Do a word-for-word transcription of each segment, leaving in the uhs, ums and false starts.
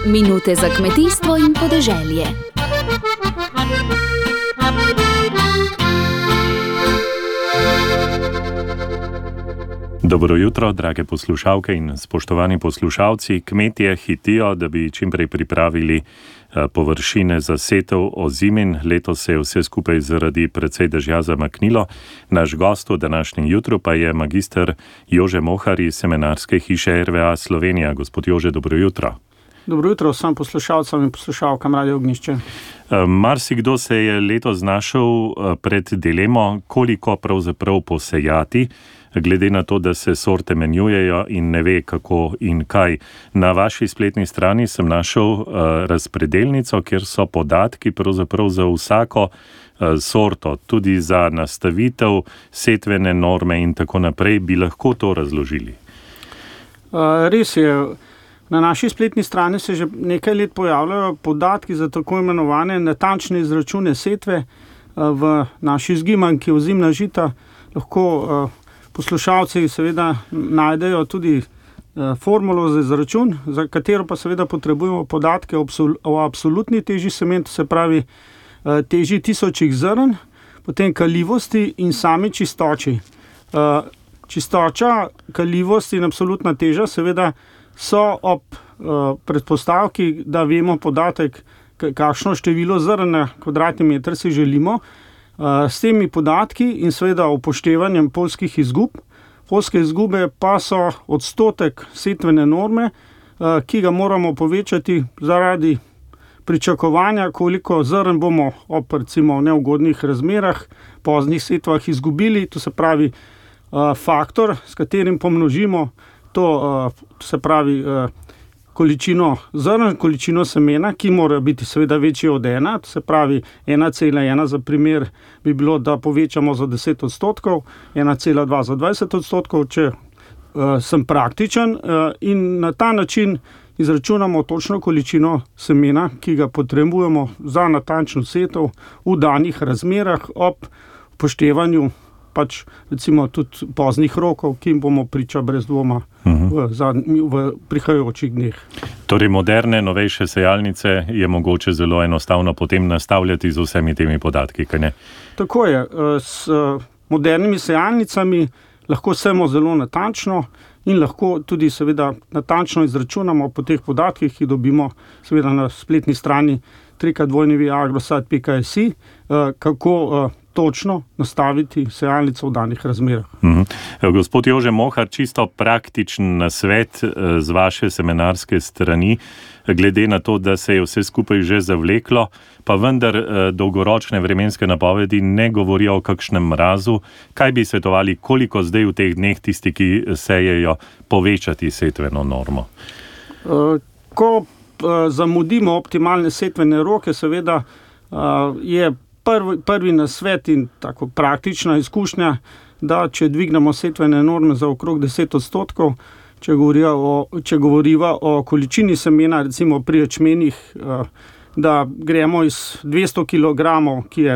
Minute za kmetijstvo in podeželje. Dobro jutro, drage poslušalke in spoštovani poslušalci. Kmetje hitijo, da bi čimprej pripravili površine za setev ozimin. Letos se je vse skupaj zaradi precej dežja zamaknilo. Naš gost v današnjem jutru pa je magister Jože Mohar iz semenarske hiše R V A Slovenija. Gospod Jože, dobro jutro. Dobro jutro vsem poslušalcem in poslušalkam Radio Ognjišče. Marsikdo se je letos znašel pred dilemo, koliko pravzaprav posejati, glede na to, da se sorte menjujejo in ne ve, kako in kaj. Na vaši spletni strani sem našel uh, razpredelnico, kjer so podatki pravzaprav za vsako uh, sorto, tudi za nastavitev, setvene norme in tako naprej. Bi lahko to razložili? Uh, res je. Na naši spletni strani se že nekaj let pojavljajo podatki za tako imenovane natančne izračune setve uh, v naši zgimanki ozimna žita. Lahko uh, poslušalci seveda najdejo tudi uh, formulo za izračun, za katero pa seveda potrebujemo podatke o, absol- o absolutni teži semen, to se pravi uh, teži tisočih zrn, potem kaljivosti in sami čistoči. Uh, čistoča, kaljivost in absolutna teža seveda so ob uh, predpostavki, da vemo podatek, kakšno število zrn na kvadratni meter si želimo. Uh, s temi podatki in seveda upoštevanjem poljskih izgub. Poljske izgube pa so odstotek setvene norme, uh, ki ga moramo povečati zaradi pričakovanja, koliko zrn bomo ob recimo neugodnih razmerah, poznih setvah izgubili. To se pravi uh, faktor, s katerim pomnožimo to, uh, to se pravi uh, količino zrn, količino semena, ki mora biti seveda večja od ena, to se pravi ena cela ena za primer bi bilo, da povečamo za deset odstotkov, ena cela dva za dvajset odstotkov, če uh, sem praktičen uh, in na ta način izračunamo točno količino semena, ki ga potrebujemo za natančno setev v danih razmerah ob upoštevanju pač recimo tudi poznih rokov, ki jim bomo priča brez dvoma uh-huh. v, zadnji, v prihajajočih dneh. Torej moderne, novejše sejalnice je mogoče zelo enostavno potem nastavljati z vsemi temi podatki, kaj ne? Tako je. S modernimi sejalnicami lahko sejemo zelo natančno in lahko tudi seveda natančno izračunamo po teh podatkih, ki dobimo seveda na spletni strani w w w pika agrosad pika s i, kako točno nastaviti sejalnico v danih razmerah. Mm-hmm. Gospod Jože Mohar, čisto praktičen nasvet z vaše semenarske strani, glede na to, da se je vse skupaj že zavleklo, pa vendar dolgoročne vremenske napovedi ne govorijo o kakšnem mrazu. Kaj bi svetovali, koliko zdaj v teh dneh tisti, ki sejejo, povečati setveno normo? Ko zamudimo optimalne setvene roke, seveda je Prvi, prvi nasvet in tako praktična izkušnja, da če dvignemo setvene norme za okrog deset odstotkov, če govoriva o, če govoriva o količini semena, recimo pri ječmenih, da gremo iz dvesto kilogramov, ki, je,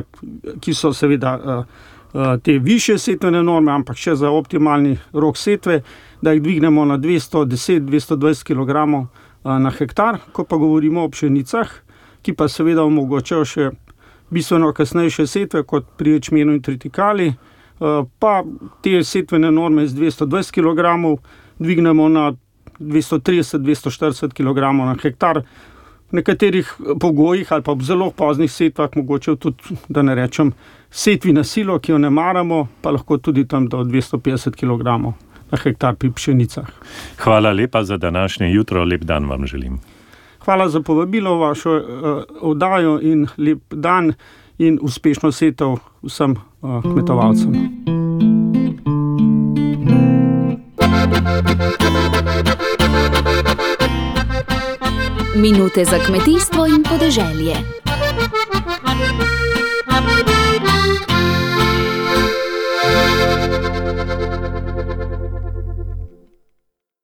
ki so seveda te višje setvene norme, ampak še za optimalni rok setve, da jih dvignemo na dvesto deset do dvesto dvajset kilogramov na hektar. Ko pa govorimo o pšenicah, ki pa seveda omogočajo še bistveno kasnejše setve kot pri ječmenu in tritikali, pa te setvene norme z dvesto dvajset kilogramov dvignemo na dvesto trideset do dvesto štirideset kilogramov na hektar. V nekaterih pogojih ali pa v zelo poznih setvah, mogoče tudi, da ne rečem, setvi na silo, ki jo ne maramo, pa lahko tudi tam do dvesto petdeset kilogramov na hektar pri pšenicah. Hvala lepa za današnje jutro, lep dan vam želim. Hvala za povabilo v vašo uh, oddajo in lep dan in uspešno setev vsem uh, kmetovalcem. Minute za kmetijstvo in podeželje.